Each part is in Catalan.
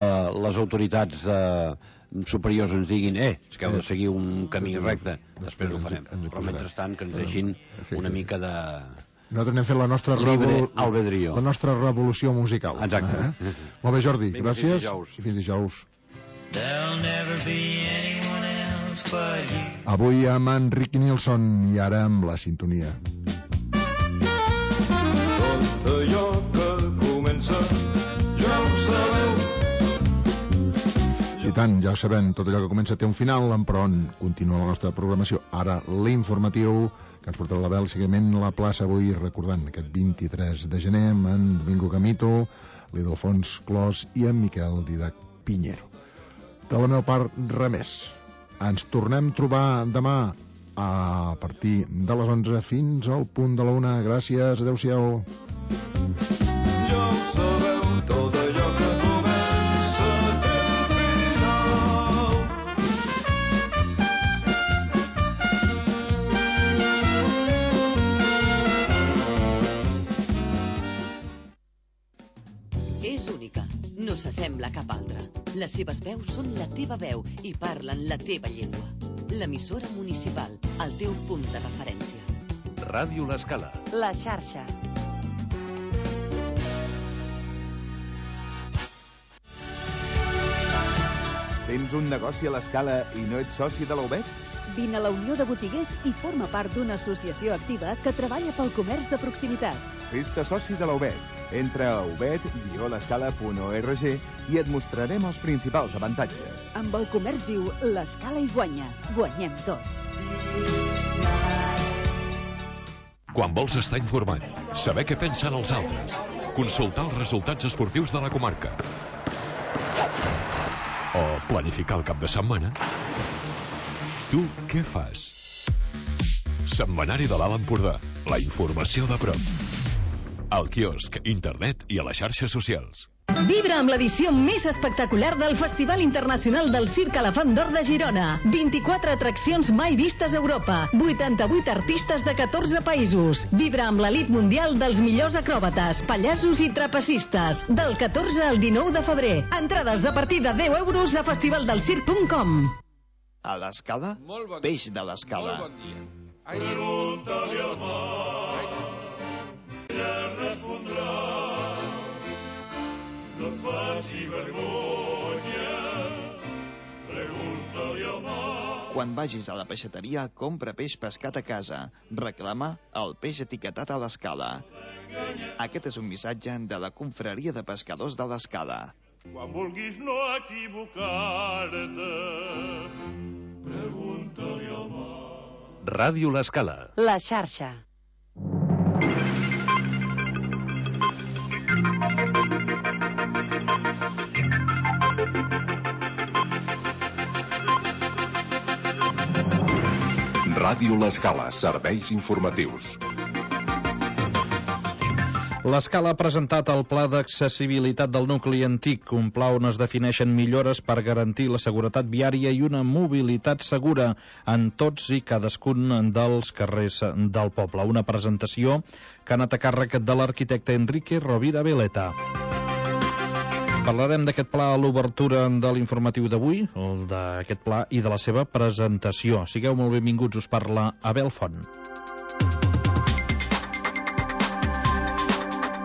les autoritats superiors ens diguin que heu de seguir un camí recte, després ho farem, però mentrestant que ens deixin una mica de nosaltres anem fent la nostra libre albedrío, la nostra revolució musical. Exacte. Molt bé, Jordi, gràcies i fins dijous. Avui amb en Ricky Nilsson i ara amb la sintonia. Tot allò que comença ja ho sabeu. I tant, ja ho sabem, tot allò que comença té un final, però on continua la nostra programació. Ara l'informatiu que ens portarà la Bel, seguiment la plaça avui, recordant aquest 23 de gener amb en Domingo Camito, l'Idalfons Clos i en Miquel Didac Piñero. De la meva part, res més. Ens tornem a trobar demà a partir de les 11 fins al punt de la 1. Gràcies, adeu-siau. Ja ho sabeu, tot allò que comença té final. És única, no s'assembla a cap altra. Les seves veus són la teva veu i parlen la teva llengua. L'emissora municipal, el teu punt de referència. Ràdio L'Escala. La xarxa. Tens un negoci a l'Escala i no ets soci de la UBEC? Vine a la Unió de Botiguers i forma part d'una associació activa que treballa pel comerç de proximitat. Fes-te soci de la UBEC. Entra a ubed-l'escala.org i et mostrarem els principals avantatges. Amb el comerç viu, l'Escala hi guanya. Guanyem tots. Quan vols estar informat, saber què pensen els altres, consultar els resultats esportius de la comarca o planificar el cap de setmana, tu què fas? Setmanari de l'Alt Empordà, la informació de prop. Al quiosc, internet i a les xarxes socials. Vibra amb l'edició més espectacular del Festival Internacional del Circ Elefant d'Or de Girona. 24 atraccions mai vistes a Europa. 88 artistes de 14 països. Vibra amb l'elit mundial dels millors acròbates, pallassos i trapecistes. Del 14 al 19 de febrer. Entrades a partir de 10 euros a festivaldelsirc.com. A l'Escala, peix de l'Escala. Pregunta-li al mar, ella respondrà. No et faci vergonya, pregunta-li al mar. Quan vagis a la peixateria, compra peix pescat a casa. Reclama el peix etiquetat a l'Escala. Aquest és un missatge de la Confraria de Pescadors de l'Escala. Quan vulguis no equivocar-te, pregunta-li al mar. Ràdio L'Escala. La xarxa. Ràdio L'Escala, serveis informatius. L'Escala ha presentat el Pla d'Accessibilitat del Nucli Antic, un pla on es defineixen millores per garantir la seguretat viària i una mobilitat segura en tots i cadascun dels carrers del poble. Una presentació que ha anat a càrrec de l'arquitecte Enrique Rovira Veleta. Parlarem d'aquest pla a l'obertura de l'informatiu d'avui, d'aquest pla i de la seva presentació. Sigueu molt benvinguts, us parla Abel Font.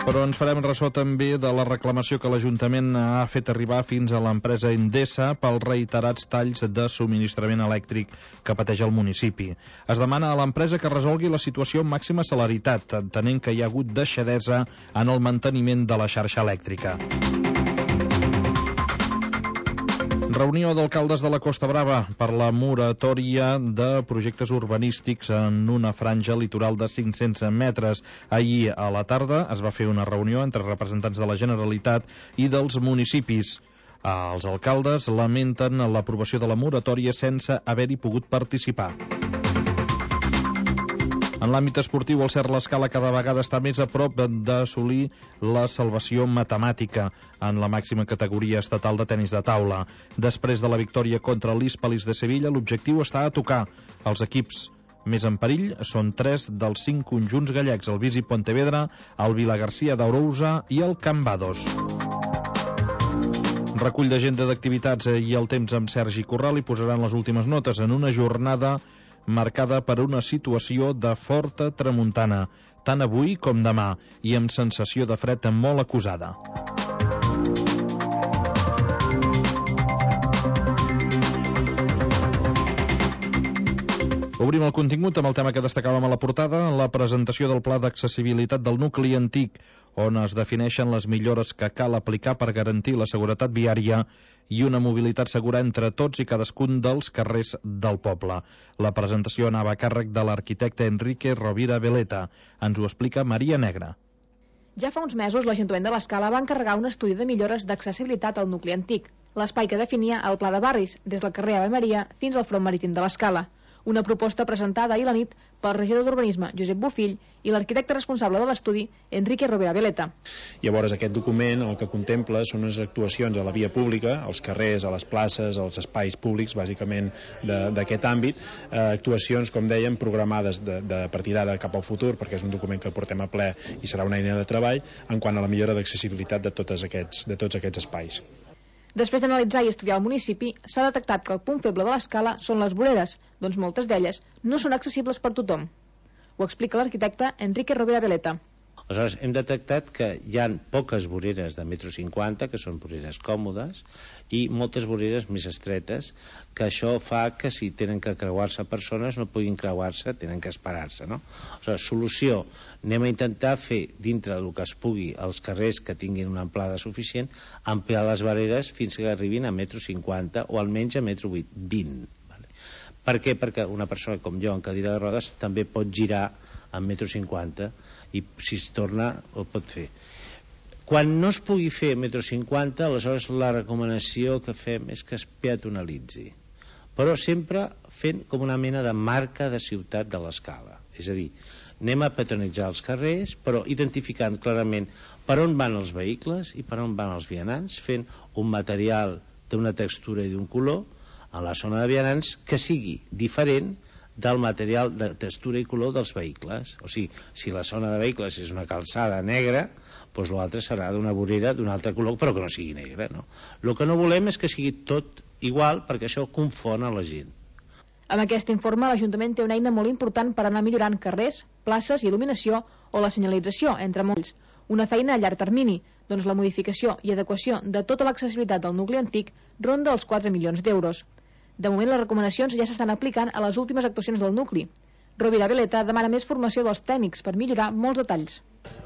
Però ens farem ressò també de la reclamació que l'Ajuntament ha fet arribar fins a l'empresa Endesa pels reiterats talls de subministrament elèctric que pateix el municipi. Es demana a l'empresa que resolgui la situació amb màxima celeritat, entenent que hi ha hagut deixadesa en el manteniment de la xarxa elèctrica. Reunió d'alcaldes de la Costa Brava per la moratòria de projectes urbanístics en una franja litoral de 500 metres. Ahir a la tarda es va fer una reunió entre representants de la Generalitat i dels municipis. Els alcaldes lamenten l'aprovació de la moratòria sense haver-hi pogut participar. En l'àmbit esportiu, el Cerc L'Escala cada vegada està més a prop d'assolir la salvació matemàtica en la màxima categoria estatal de tenis de taula. Després de la victòria contra l'Hispalis de Sevilla, l'objectiu està a tocar. Els equips més en perill són 3 dels 5 conjunts gallecs, el Visi Pontevedra, el Vilagarcía d'Arousa i el Cambados. Recull d'agenda d'activitats i el temps amb Sergi Corral i posaran les últimes notes en una jornada marcada per una situació de forta tramuntana, tant avui com demà, i amb sensació de fred molt acusada. Obrim el contingut amb el tema que destacàvem a la portada, la presentació del Pla d'Accessibilitat del nucli antic, on es defineixen les millores que cal aplicar per garantir la seguretat viària i una mobilitat segura entre tots i cadascun dels carrers del poble. La presentació anava a càrrec de l'arquitecte Enrique Rovira Veleta. Ens ho explica Maria Negra. Ja fa uns mesos l'Ajuntament de l'Escala va encarregar un estudi de millores d'accessibilitat al nucli antic, l'espai que definia el Pla de Barris, des del carrer Ave Maria fins al front marítim de l'Escala. Una proposta presentada ahir a la nit pel regidor d'Urbanisme, Josep Bofill, i l'arquitecte responsable de l'estudi, Enrique Rovira Veleta. Llavors, aquest document el que contempla són unes actuacions a la via pública, als carrers, a les places, als espais públics, bàsicament d'aquest àmbit, actuacions, com dèiem, programades de partir d'ara cap al futur, perquè és un document que portem a ple i serà una eina de treball, en quant a la millora d'accessibilitat de tots aquests espais. Després d'analitzar i estudiar el municipi, s'ha detectat que el punt feble de l'Escala són les voreres, doncs moltes d'elles no són accessibles per tothom. Ho explica l'arquitecte Enrique Rovira Veleta. Aleshores, hem detectat que hi ha poques voreres de 1,50 m, que són voreres còmodes, i moltes voreres més estretes, que això fa que si tenen que creuar-se persones no puguin creuar-se, tenen que esperar-se, no? Aleshores, solució, anem a intentar fer, dintre del que es pugui, els carrers que tinguin una amplada suficient, ampliar les voreres fins que arribin a 1,50 m o almenys a 1,20 m. Per què? Perquè una persona com jo en cadira de rodes també pot girar amb 1,50 m i si es torna ho pot fer. Quan no es pugui fer 1,50 m, aleshores la recomanació que fem és que es peatonalitzi, però sempre fent com una mena de marca de ciutat de l'Escala. És a dir, anem a peatonalitzar els carrers, però identificant clarament per on van els vehicles i per on van els vianants, fent un material d'una textura i d'un color a la zona de vianants que sigui diferent del material de textura i color dels vehicles. O sigui, si la zona de vehicles és una calçada negra, doncs l'altre serà d'una vorera d'un altre color, però que no sigui negra, no? El que no volem és que sigui tot igual, perquè això confon a la gent. Amb aquest informe, l'Ajuntament té una eina molt important per anar millorant carrers, places, il·luminació o la senyalització, entre molts. Una feina a llarg termini, doncs la modificació i adequació de tota l'accessibilitat del nucli antic ronda els 4 milions d'euros. De moment, les recomanacions ja s'estan aplicant a les últimes actuacions del nucli. Rovira Veleta demana més formació dels tècnics per millorar molts detalls.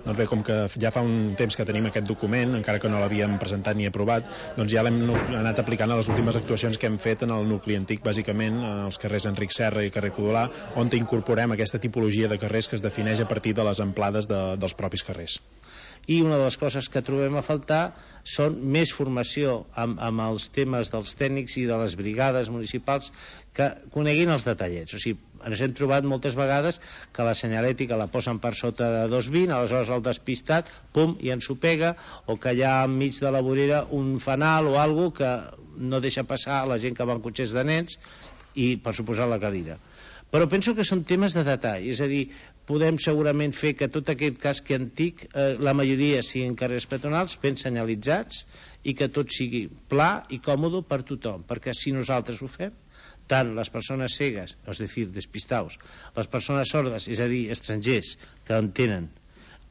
Doncs bé, com que ja fa un temps que tenim aquest document, encara que no l'havíem presentat ni aprovat, doncs ja l'hem anat aplicant a les últimes actuacions que hem fet en el nucli antic, bàsicament als carrers Enric Serra i carrer Codolà, on incorporem aquesta tipologia de carrers que es defineix a partir de les amplades dels propis carrers. I una de les coses que trobem a faltar són més formació amb els temes dels tècnics i de les brigades municipals que coneguin els detallets. O sigui, ens hem trobat moltes vegades que la senyalètica la posen per sota de 2,20, aleshores el despistat, pum, i ens ho pega, o que hi ha enmig de la vorera un fanal o alguna que no deixa passar la gent que va en cotxes de nens i, per suposar, la cadira. Però penso que són temes de detall, és a dir, podem segurament fer que tot aquest casc antic, la majoria siguin carrers peatonals ben senyalitzats i que tot sigui pla i còmode per tothom, perquè si nosaltres ho fem, tant les persones cegues, és a dir, despistaus, les persones sordes, és a dir, estrangers que entenen,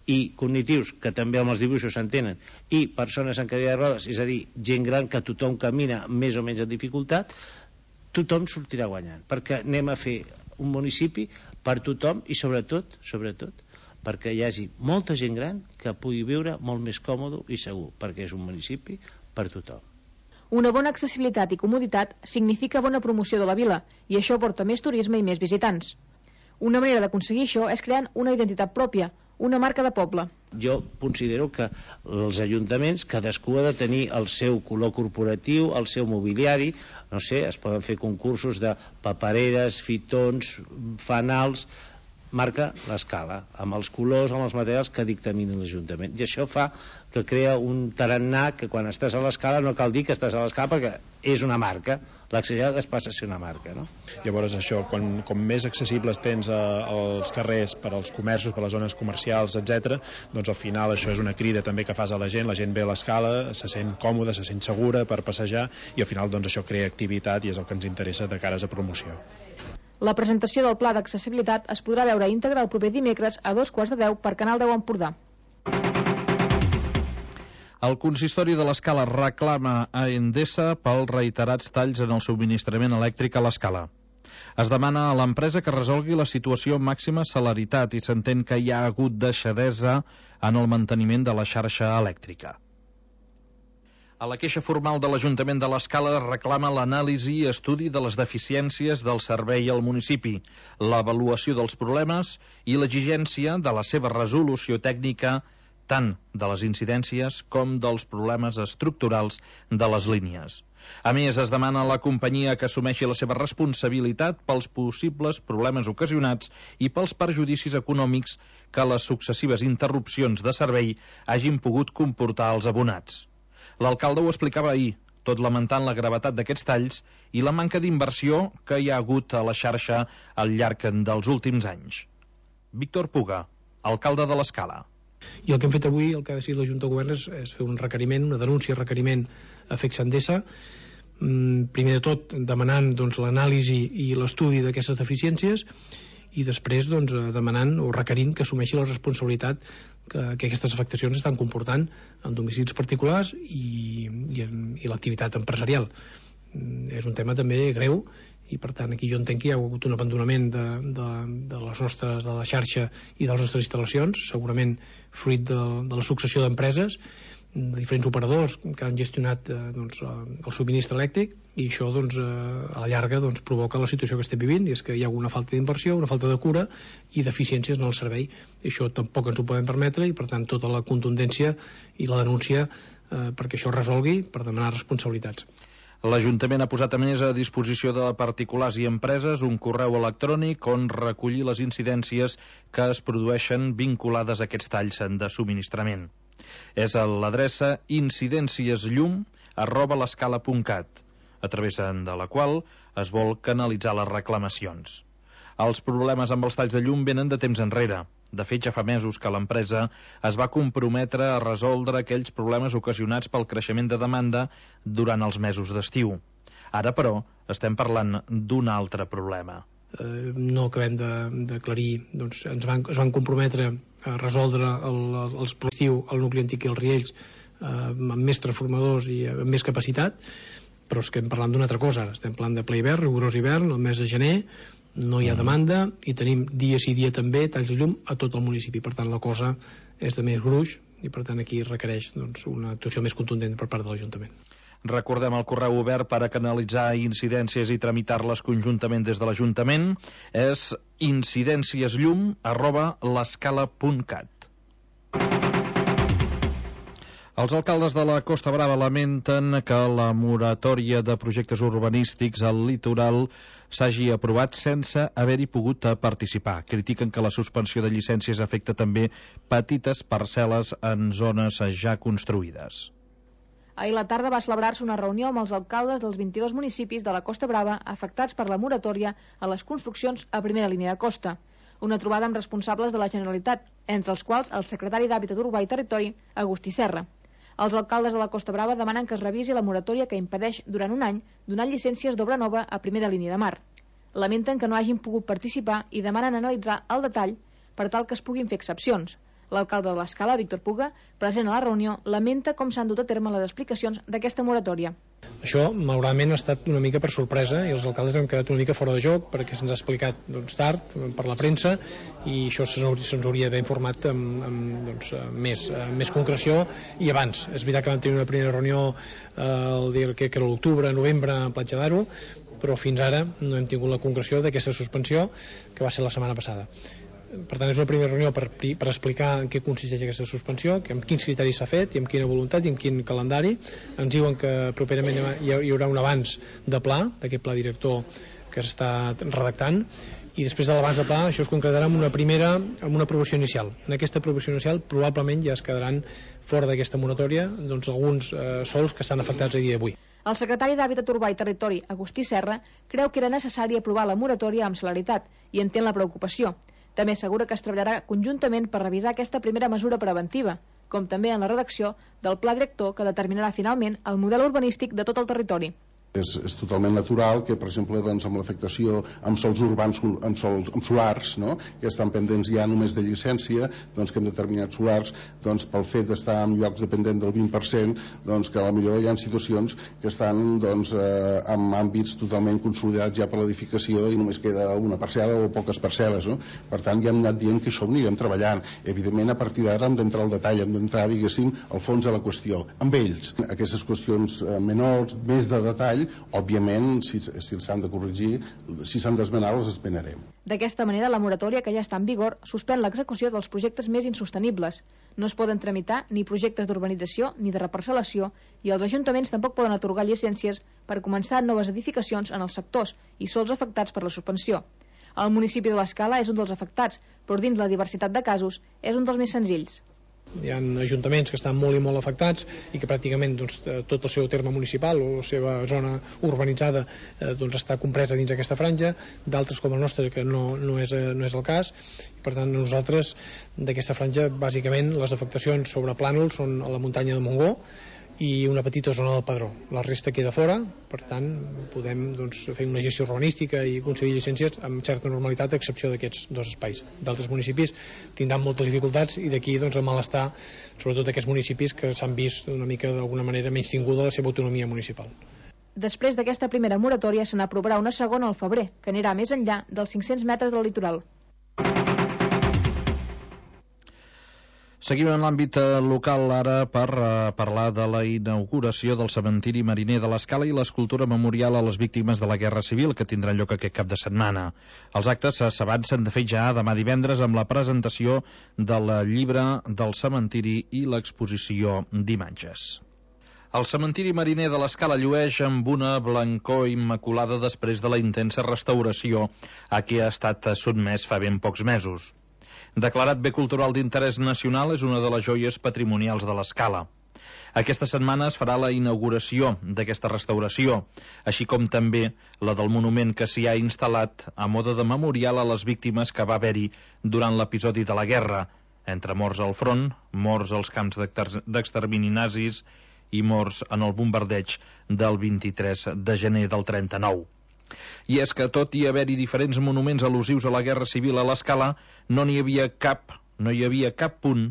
i cognitius, que també amb els dibuixos s'entenen, i persones en cadira de rodes, és a dir, gent gran que tothom camina més o menys en dificultat, tothom sortirà guanyant, perquè anem a fer un municipi per tothom i sobretot perquè hi hagi molta gent gran que pugui viure molt més còmode i segur, perquè és un municipi per tothom. Una bona accessibilitat i comoditat significa bona promoció de la vila i això porta més turisme i més visitants. Una manera d'aconseguir això és creant una identitat pròpia, una marca de poble. Jo considero que els ajuntaments, cadascú ha de tenir el seu color corporatiu, el seu mobiliari, no sé, es poden fer concursos de papereres, fitons, fanals, marca l'escala, amb els colors, amb els materials que dictamina l'Ajuntament. I això fa que crea un tarannà que quan estàs a l'escala no cal dir que estàs a l'escala perquè és una marca, l'accessibilitat es passa a ser una marca, no? Llavors això, com més accessibles tens als carrers per als comerços, per les zones comercials, etc., doncs al final això és una crida també que fas a la gent ve a l'escala, se sent còmoda, se sent segura per passejar i al final doncs això crea activitat i és el que ens interessa de cares a promoció. La presentació del pla d'accessibilitat es podrà veure íntegre el proper dimecres a 2:15 per Canal 10 Empordà. El consistori de l'Escala reclama a Endesa pels reiterats talls en el subministrament elèctric a l'Escala. Es demana a l'empresa que resolgui la situació amb màxima celeritat i s'entén que hi ha hagut deixadesa en el manteniment de la xarxa elèctrica. A la queixa formal de l'Ajuntament de l'Escala reclama l'anàlisi i estudi de les deficiències del servei al municipi, l'avaluació dels problemes i l'exigència de la seva resolució tècnica tant de les incidències com dels problemes estructurals de les línies. A més, es demana a la companyia que assumeixi la seva responsabilitat pels possibles problemes ocasionats i pels perjudicis econòmics que les successives interrupcions de servei hagin pogut comportar als abonats. L'alcalde ho explicava ahir, tot lamentant la gravetat d'aquests talls i la manca d'inversió que hi ha hagut a la xarxa al llarg dels últims anys. Víctor Puga, alcalde de l'Escala. I el que hem fet avui, el que ha decidit la Junta de Govern és fer un requeriment, una denúncia, requeriment a FEX Endesa, primer de tot demanant l'anàlisi i l'estudi d'aquestes deficiències i després demanant o requerint que assumeixi la responsabilitat que aquestes afectacions estan comportant en domicilis particulars i l'activitat empresarial. És un tema també greu i per tant aquí jo entenc que hi ha hagut un abandonament de la xarxa i de les nostres instal·lacions, segurament fruit de la successió d'empreses, de diferents operadors que han gestionat el subministre elèctric i això a la llarga provoca la situació que estem vivint, i és que hi ha una falta d'inversió, una falta de cura i deficiències en el servei. I això tampoc ens ho podem permetre i per tant tota la contundència i la denúncia perquè això es resolgui per demanar responsabilitats. L'Ajuntament ha posat a més a disposició de particulars i empreses un correu electrònic on recollir les incidències que es produeixen vinculades a aquests talls de subministrament. És a l'adreça incidenciesllum@l'escala.cat, a través de la qual es vol canalitzar les reclamacions. Els problemes amb els talls de llum venen de temps enrere. De fet, ja fa mesos que l'empresa es va comprometre a resoldre aquells problemes ocasionats pel creixement de demanda durant els mesos d'estiu. Ara, però, estem parlant d'un altre problema. No acabem d'aclarir, es van comprometre a resoldre els l'estiu al nucli antic i els Riells amb més transformadors i amb més capacitat, però estem parlant d'una altra cosa. Estem parlant de ple hivern, rigorós hivern, el mes de gener, no hi ha demanda i tenim dia sí dia també talls de llum a tot el municipi. Per tant, la cosa és de més gruix i per tant aquí requereix una actuació més contundent per part de l'Ajuntament. Recordem el correu obert per a canalitzar incidències i tramitar-les conjuntament des de l'Ajuntament. És incidenciesllum@l'escala.cat. Els alcaldes de la Costa Brava lamenten que la moratòria de projectes urbanístics al litoral s'hagi aprovat sense haver-hi pogut participar. Critiquen que la suspensió de llicències afecta també petites parcel·les en zones ja construïdes. Ahir a la tarda va celebrar-se una reunió amb els alcaldes dels 22 municipis de la Costa Brava afectats per la moratòria a les construccions a primera línia de costa. Una trobada amb responsables de la Generalitat, entre els quals el secretari d'Hàbitat Urbà i Territori, Agustí Serra. Els alcaldes de la Costa Brava demanen que es revisi la moratòria que impedeix durant un any donar llicències d'obra nova a primera línia de mar. Lamenten que no hagin pogut participar i demanen analitzar el detall per tal que es puguin fer excepcions. L'alcalde de l'Escala, Víctor Puga, present a la reunió, lamenta com s'han dut a terme les explicacions d'aquesta moratòria. Això, malauradament, ha estat una mica per sorpresa i els alcaldes han quedat una mica fora de joc perquè se'ns ha explicat tard per la premsa i això se'ns hauria d'haver informat amb més concreció i abans. És veritat que vam tenir una primera reunió el dia que era l'octubre, novembre, a Platja d'Aro, però fins ara no hem tingut la concreció d'aquesta suspensió que va ser la setmana passada. Per tant, és una primera reunió per explicar en què consisteix aquesta suspensió, amb quins criteris s'ha fet i amb quina voluntat i amb quin calendari. Ens diuen que properament hi haurà un abans de pla, d'aquest pla director que s'està redactant, i després de l'abans de pla això es concretarà amb una aprovació inicial. En aquesta aprovació inicial probablement ja es quedaran fora d'aquesta moratòria doncs, alguns sols que estan afectats a dia d'avui. El secretari d'Hàbitat Urbà i Territori, Agustí Serra, creu que era necessari aprovar la moratòria amb celeritat i entén la preocupació. També assegura que es treballarà conjuntament per revisar aquesta primera mesura preventiva, com també en la redacció del pla director que determinarà finalment el model urbanístic de tot el territori. És totalment natural que, per exemple, doncs, amb l'afectació amb sols urbans, amb solars, no? Que estan pendents ja només de llicència, doncs, que en determinats solars, doncs, pel fet d'estar en llocs dependent del 20%, doncs, que potser hi ha situacions que estan doncs, en àmbits totalment consolidats ja per l'edificació i només queda una parcel·la o poques parcel·les. No? Per tant, ja hem anat dient que això ho anirem treballant. Evidentment, a partir d'ara hem d'entrar al detall, hem d'entrar, diguéssim, al fons de la qüestió. Amb ells, aquestes qüestions menors, més de detall, òbviament, si s'han de corregir, si s'han d'esmenar, les esmenarem. D'aquesta manera, la moratòria que ja està en vigor suspèn l'execució dels projectes més insostenibles. No es poden tramitar ni projectes d'urbanització ni de reparcel·lació i els ajuntaments tampoc poden atorgar llicències per començar noves edificacions en els sectors i sols afectats per la suspensió. El municipi de l'Escala és un dels afectats, però dins la diversitat de casos és un dels més senzills. Hi ha ajuntaments que estan molt i molt afectats i que pràcticament doncs, tot el seu terme municipal o la seva zona urbanitzada doncs, està compresa dins aquesta franja, d'altres com el nostre que no és el cas. Per tant, nosaltres d'aquesta franja bàsicament les afectacions sobre plànols són a la muntanya de Montgó i una petita zona del Padró. La resta queda fora, per tant podem doncs, fer una gestió urbanística i concedir llicències amb certa normalitat a excepció d'aquests dos espais. D'altres municipis tindran moltes dificultats i d'aquí doncs, el malestar, sobretot d'aquests municipis que s'han vist una mica d'alguna manera menystinguda la seva autonomia municipal. Després d'aquesta primera moratòria se n'aprovarà una segona al febrer, que anirà més enllà dels 500 metres del litoral. Seguim en l'àmbit local ara per parlar de la inauguració del cementiri mariner de l'Escala i l'escultura memorial a les víctimes de la Guerra Civil que tindrà lloc aquest cap de setmana. Els actes s'avancen de fet ja demà divendres amb la presentació del llibre del cementiri i l'exposició d'imatges. El cementiri mariner de l'Escala llueix amb una blancor immaculada després de la intensa restauració a què ha estat sotmès fa ben pocs mesos. Declarat bé cultural d'interès nacional, és una de les joies patrimonials de l'Escala. Aquesta setmana es farà la inauguració d'aquesta restauració, així com també la del monument que s'hi ha instal·lat a mode de memorial a les víctimes que va haver-hi durant l'episodi de la guerra, entre morts al front, morts als camps d'extermini nazis i morts en el bombardeig del 23 de gener del 39. I és que tot i haver-hi diferents monuments al·lusius a la Guerra Civil a l'Escala, no hi havia cap punt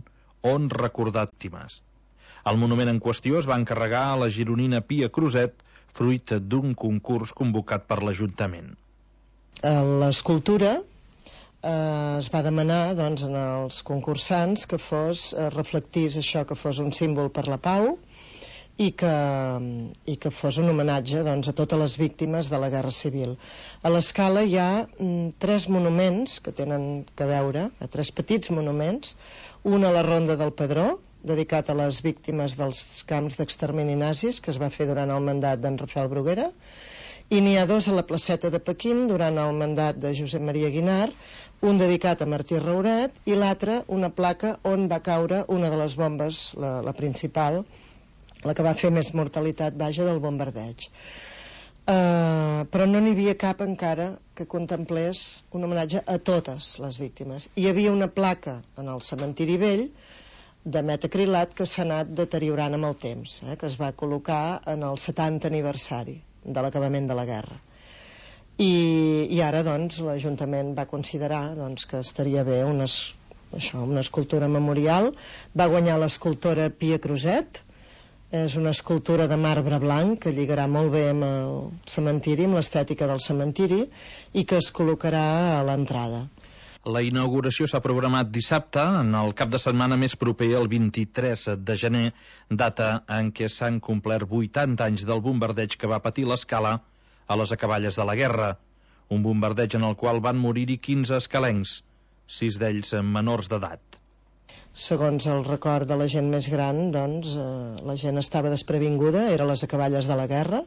on recordar víctimes. El monument en qüestió es va encarregar a la gironina Pia Cruzet, fruit d'un concurs convocat per l'Ajuntament. L'escultura es va demanar doncs, als concursants que reflectís això, que fos un símbol per la pau i que fos un homenatge doncs, a totes les víctimes de la Guerra Civil. A l'Escala hi ha 3 monuments que tenen que veure, 3 petits monuments, un a la Ronda del Padró, dedicat a les víctimes dels camps d'extermini nazis, que es va fer durant el mandat d'en Rafael Bruguera, i n'hi ha 2 a la placeta de Pequín durant el mandat de Josep Maria Guinart, un dedicat a Martí Rauret i l'altre una placa on va caure una de les bombes, la principal, la que va fer més mortalitat, vaja, del bombardeig. Però no n'hi havia cap encara que contemplés un homenatge a totes les víctimes. Hi havia una placa en el cementiri vell de metacrilat que s'ha anat deteriorant amb el temps, que es va col·locar en el 70 aniversari de l'acabament de la guerra. I ara doncs l'Ajuntament va considerar doncs, que estaria bé una escultura memorial. Va guanyar l'escultora Pia Cruzet. És una escultura de marbre blanc que lligarà molt bé amb el cementiri, amb l'estètica del cementiri, i que es col·locarà a l'entrada. La inauguració s'ha programat dissabte, en el cap de setmana més proper, el 23 de gener, data en què s'han complert 80 anys del bombardeig que va patir l'Escala a les acaballes de la guerra. Un bombardeig en el qual van morir-hi 15 escalencs, 6 d'ells menors d'edat. Segons el record de la gent més gran, doncs, la gent estava desprevinguda, eren les acaballes de la guerra.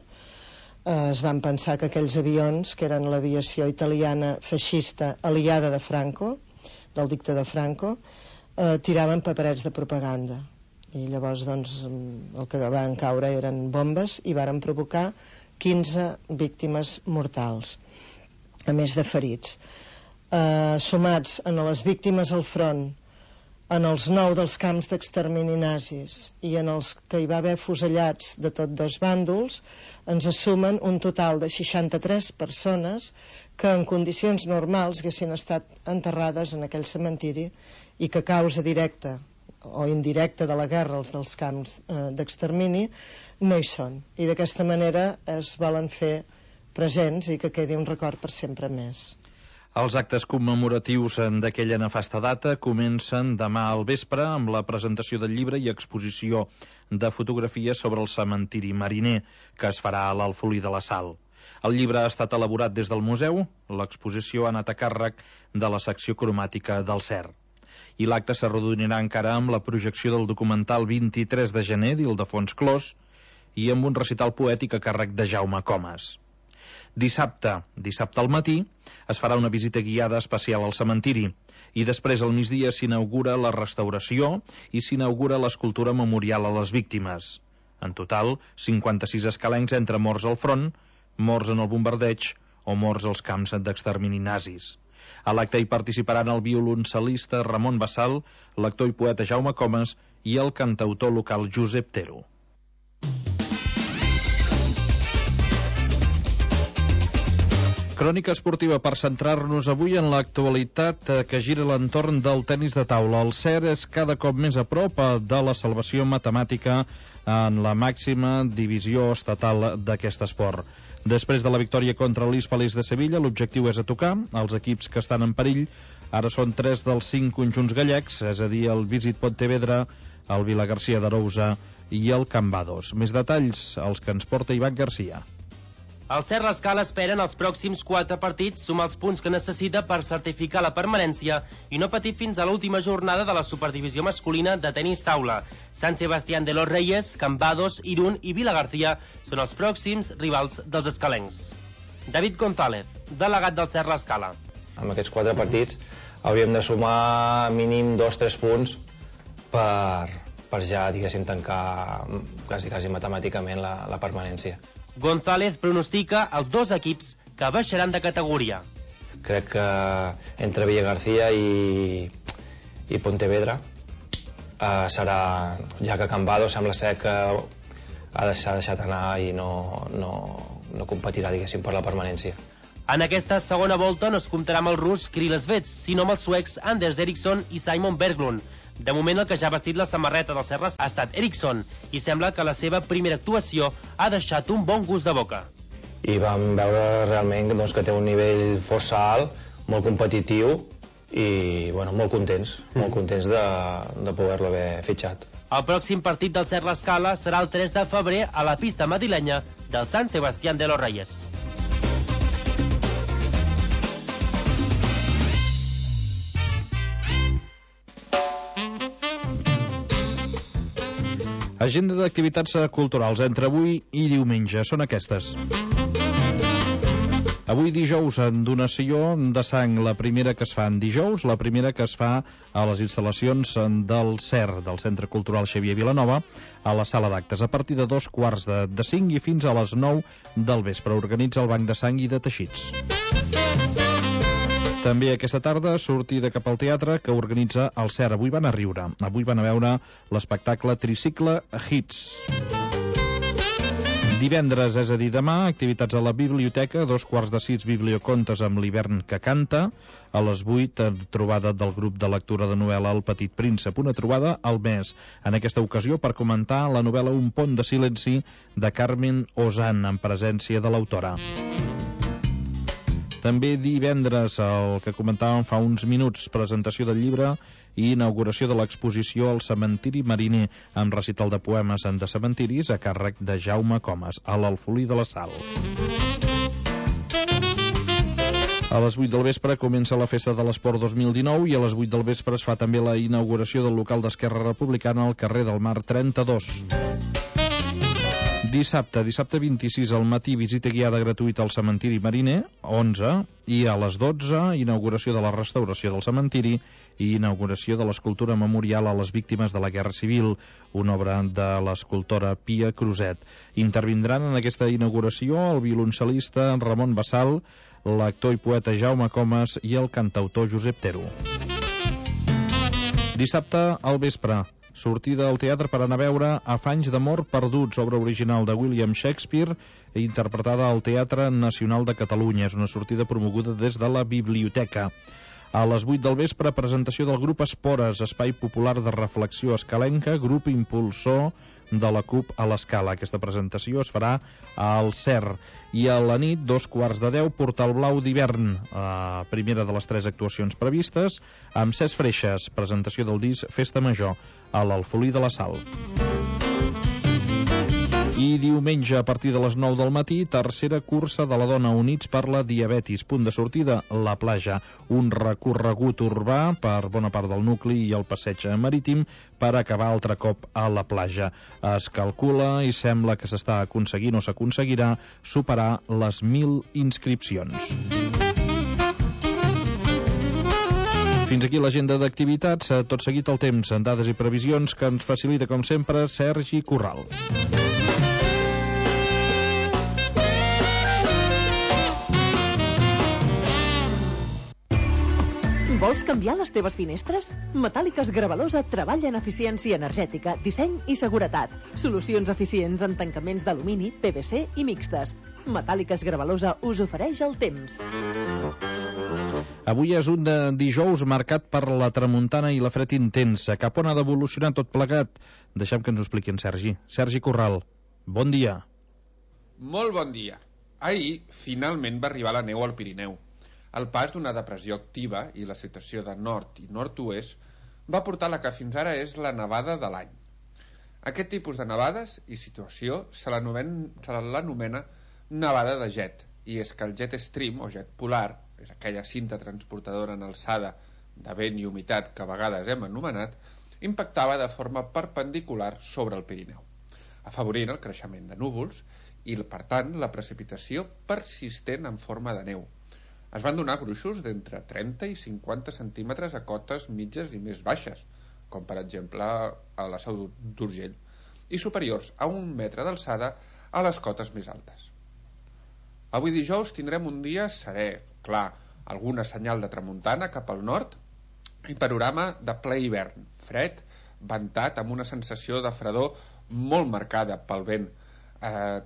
es van pensar que aquells avions, que eren l'aviació italiana feixista aliada de Franco, del dictador Franco, tiraven paperets de propaganda. I llavors, doncs, el que van caure eren bombes i varen provocar 15 víctimes mortals, a més de ferits. Sumats en les víctimes al front, en els 9 dels camps d'extermini nazis i en els que hi va haver fusellats de tots dos bàndols, ens assumen un total de 63 persones que en condicions normals haguessin estat enterrades en aquell cementiri i que a causa directa o indirecta de la guerra, els dels camps d'extermini, no hi són. I d'aquesta manera es volen fer presents i que quedi un record per sempre més. Els actes commemoratius d'aquella nefasta data comencen demà al vespre amb la presentació del llibre i exposició de fotografies sobre el cementiri mariner, que es farà a l'Alfolí de la Sal. El llibre ha estat elaborat des del museu, l'exposició ha anat a càrrec de la secció cromàtica del CER. I l'acte s'arrodonirà encara amb la projecció del documental 23 de gener d'Ildefons Clos i amb un recital poètic a càrrec de Jaume Comas. Dissabte al matí, es farà una visita guiada especial al cementiri i després al migdia s'inaugura la restauració i s'inaugura l'escultura memorial a les víctimes. En total, 56 escalencs entre morts al front, morts en el bombardeig o morts als camps d'extermini nazis. A l'acte hi participaran el violoncel·lista Ramon Bassal, l'actor i poeta Jaume Comas i el cantautor local Josep Tero. Crònica esportiva per centrar-nos avui en l'actualitat que gira a l'entorn del tenis de taula. El CER és cada cop més a prop de la salvació matemàtica en la màxima divisió estatal d'aquest esport. Després de la victòria contra l'Hispalés de Sevilla, l'objectiu és a tocar. Els equips que estan en perill ara són 3 dels 5 conjunts gallecs, és a dir, el Visit Pontevedra, el Vilagarcía d'Arousa i el Cambados. Més detalls, els que ens porta Ivan Garcia. El CER L'Escala espera en els pròxims 4 partits sumar els punts que necessita per certificar la permanència i no patir fins a l'última jornada de la superdivisió masculina de tenis taula. Sant Sebastián de los Reyes, Cambados, Irún i Vilagarcía són els pròxims rivals dels escalencs. David González, delegat del CER L'Escala. Amb aquests 4 partits hauríem de sumar mínim 2-3 punts per ja, diguéssim, tancar quasi matemàticament la permanència. González pronostica els 2 equips que baixaran de categoria. Crec que entre Villagarcía i Pontevedra serà, ja que Cambados sembla ser que s'ha deixat anar i no competirà, diguéssim, per la permanència. En aquesta segona volta no es comptarà amb el rus Kirill Svets, sinó amb els suecs Anders Eriksson i Simon Berglund. De moment, el que ja ha vestit la samarreta dels Serres ha estat Eriksson i sembla que la seva primera actuació ha deixat un bon gust de boca. I vam veure realment que té un nivell força alt, molt competitiu i molt contents de poder-lo haver fitxat. El pròxim partit del CER L'Escala serà el 3 de febrer a la pista madrilenya del Sant Sebastián de los Reyes. Agenda d'activitats culturals entre avui i diumenge són aquestes. Avui dijous, en donació de sang, la primera que es fa en dijous, la primera que es fa a les instal·lacions del CER, del Centre Cultural Xavier Vilanova, a la sala d'actes, a partir de 2:45 i fins a les 9 del vespre. Organitza el Banc de Sang i de Teixits. També aquesta tarda sortida cap al teatre que organitza el CER. Avui van a riure. Avui van a veure l'espectacle Tricicle Hits. Divendres, és a dir, demà, activitats a la biblioteca, 5:45 bibliocontes amb l'hivern que canta. A les 8, trobada del grup de lectura de novel·la El Petit Príncep, una trobada al mes. En aquesta ocasió per comentar la novel·la Un pont de silenci de Carmen Ozan, en presència de l'autora. També divendres, el que comentàvem fa uns minuts, presentació del llibre i inauguració de l'exposició al cementiri mariner, amb recital de poemes de cementiris a càrrec de Jaume Comas, a l'Alfolí de la Sal. A les 8 del vespre comença la Festa de l'Esport 2019 i a les 8 del vespre es fa també la inauguració del local d'Esquerra Republicana al carrer del Mar 32. Dissabte 26 al matí, visita guiada gratuïta al cementiri Mariner, 11, i a les 12, inauguració de la restauració del cementiri i inauguració de l'escultura memorial a les víctimes de la Guerra Civil, una obra de l'escultora Pia Cruzet. Intervindran en aquesta inauguració el violoncel·lista Ramon Bassal, l'actor i poeta Jaume Comas i el cantautor Josep Tero. Dissabte al vespre, sortida al teatre per anar a veure Afanys d'amor perduts, obra original de William Shakespeare, interpretada al Teatre Nacional de Catalunya. És una sortida promoguda des de la biblioteca. A les 8 del vespre, presentació del grup Espores, espai popular de reflexió escalenca, grup impulsor de la CUP a l'Escala. Aquesta presentació es farà al CER. I a la nit, 9:45, Portal Blau d'hivern, primera de les 3 actuacions previstes, amb Cesc Freixes, presentació del disc Festa Major, a l'Alfolí de la Sal. I diumenge, a partir de les 9 del matí, tercera cursa de la dona Units per la Diabetis. Punt de sortida, la platja. Un recorregut urbà per bona part del nucli i el passeig marítim per acabar altre cop a la platja. Es calcula i sembla que s'està aconseguint o s'aconseguirà superar les 1.000 inscripcions. Fins aquí l'agenda d'activitats. Tot seguit el temps, en dades i previsions que ens facilita, com sempre, Sergi Corral. Vols canviar les teves finestres? Metàl·liques Gravalosa treballa en eficiència energètica, disseny i seguretat. Solucions eficients en tancaments d'alumini, PVC i mixtes. Metàl·liques Gravalosa us ofereix el temps. Avui és un dijous marcat per la tramuntana i la fred intensa. Cap on ha d'evolucionar tot plegat? Deixem que ens ho expliqui en Sergi. Sergi Corral, bon dia. Molt bon dia. Ahir, finalment, va arribar la neu al Pirineu. El pas d'una depressió activa i la situació de nord i nord-oest va portar la que fins ara és la nevada de l'any. Aquest tipus de nevades i situació se l'anomena nevada de jet, i és que el jet stream o jet polar, és aquella cinta transportadora en alçada de vent i humitat que a vegades hem anomenat, impactava de forma perpendicular sobre el Pirineu, afavorint el creixement de núvols i, per tant, la precipitació persistent en forma de neu. Es van donar gruixos d'entre 30 i 50 centímetres a cotes mitges i més baixes, com per exemple a la Seu d'Urgell, i superiors a 1 metre d'alçada a les cotes més altes. Avui dijous tindrem un dia serè, clar, alguna senyal de tramuntana cap al nord i panorama de ple hivern, fred, ventat, amb una sensació de fredor molt marcada pel vent,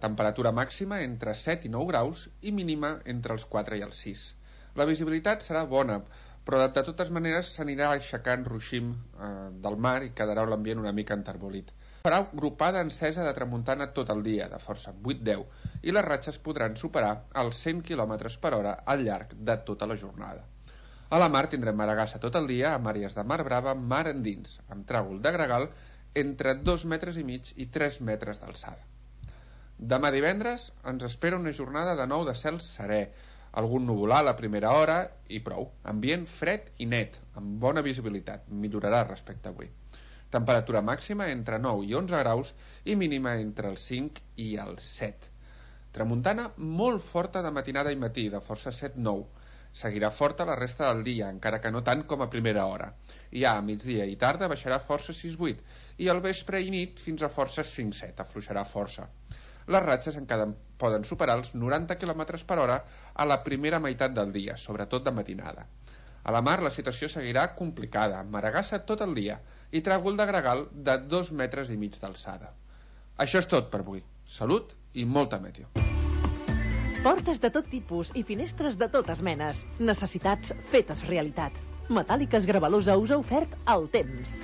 temperatura màxima entre 7 i 9 graus i mínima entre els 4 i els 6. La visibilitat serà bona, però de totes maneres s'anirà aixecant ruixim del mar i quedarà l'ambient una mica enterbolit. Farà gropada encesa de tramuntana tot el dia, de força 8-10, i les ratxes podran superar els 100 km per hora al llarg de tota la jornada. A la mar tindrem maragassa tot el dia, amb àrees de mar brava, mar endins, amb tràgol de gregal entre 2,5 metres i 3 metres d'alçada. Demà divendres ens espera una jornada de nou de cel serè, algun nuvolar a la primera hora i prou. Ambient fred i net, amb bona visibilitat, millorarà respecte a avui. Temperatura màxima entre 9 i 11 graus i mínima entre els 5 i els 7. Tramuntana molt forta de matinada i matí, de força 7-9. Seguirà forta la resta del dia, encara que no tant com a primera hora. I a migdia i tarda baixarà força 6-8 i al vespre i nit fins a força 5-7, afluixarà força. Les ratxes encara poden superar els 90 km per hora a la primera meitat del dia, sobretot de matinada. A la mar la situació seguirà complicada, amb maragassa tot el dia i tràgol de gregal de 2,5 metres d'alçada. Això és tot per avui. Salut i molta meteo. Portes de tot tipus i finestres de totes menes. Necessitats fetes realitat. Metàl·liques Gravalosa us ha ofert el temps.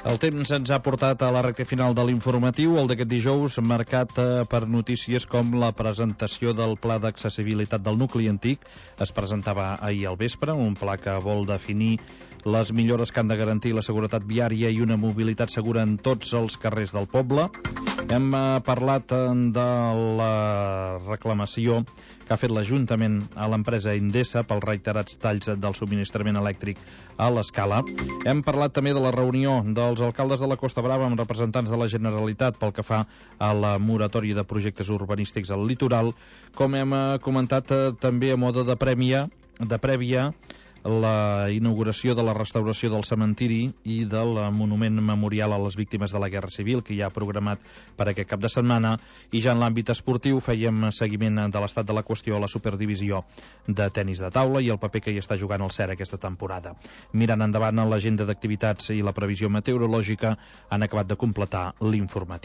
El temps ens ha portat a la recta final de l'informatiu, el d'aquest dijous, marcat per notícies com la presentació del Pla d'Accessibilitat del Nucli Antic. Es presentava ahir al vespre, un pla que vol definir les millores que han de garantir la seguretat viària i una mobilitat segura en tots els carrers del poble. Hem parlat de la reclamació que ha fet l'Ajuntament a l'empresa Endesa pels reiterats talls del subministrament elèctric a l'Escala. Hem parlat també de la reunió dels alcaldes de la Costa Brava amb representants de la Generalitat pel que fa a la moratòria de projectes urbanístics al litoral. Com hem comentat també a mode de prèvia, la inauguració de la restauració del cementiri i del monument memorial a les víctimes de la Guerra Civil, que hi ha programat per aquest cap de setmana. I ja en l'àmbit esportiu fèiem seguiment de l'estat de la qüestió a la Superdivisió de tenis de taula i el paper que hi està jugant el CER aquesta temporada. Mirant endavant l'agenda d'activitats i la previsió meteorològica, han acabat de completar l'informatiu.